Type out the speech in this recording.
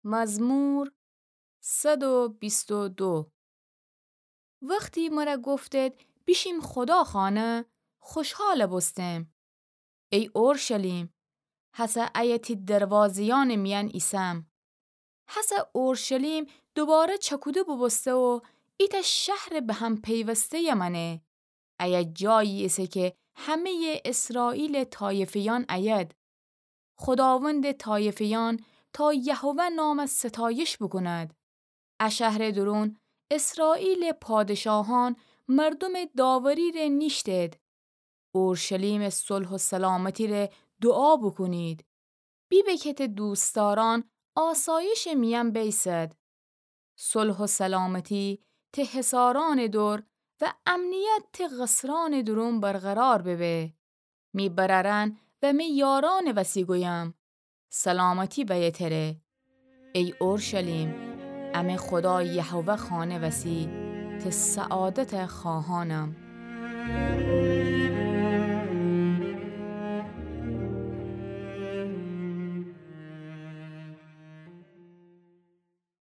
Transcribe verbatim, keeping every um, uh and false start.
مزمور صد و بیست و دو. وختی مرَ گفتید بیشیم خودا خانه، خوشحال بوستم. ای اورشلیم، هسه ایه تی دروازه‌یأنٚ میأن ایسم. هسه اورشلیم دوباره چکوده بوبوسته و ایتأ شهرٚ به هم پیوسته‌یٚ مأنه. ایه جایی ایسه که همه‌یٚ اسرائیلٚ طایفه‌یأن ایید. خوداوندٚ طایفه‌یأن تا یهوه نام ستایش بوکوند. ا شهرٚ دورون اسرائیلٚ پادشاهأن مردومٚ داوری ره نیشتید. اورشلیمٚ صلح و سلامتی ره دوعا بوکونید. بیبه که ته دوستدارأن آسایشٚ میأن بیسد. صلح و سلامتی ته حصارأنٚ دور و امنیت ته قصرأنٚ دورون برقرار ببه. می برأرأن و می یارأنٚ وسی گویم، سلامتی بأیه تره. ای اورشلیم، امه خودا یهوه خانه وسی ته سعادت خواهأنم.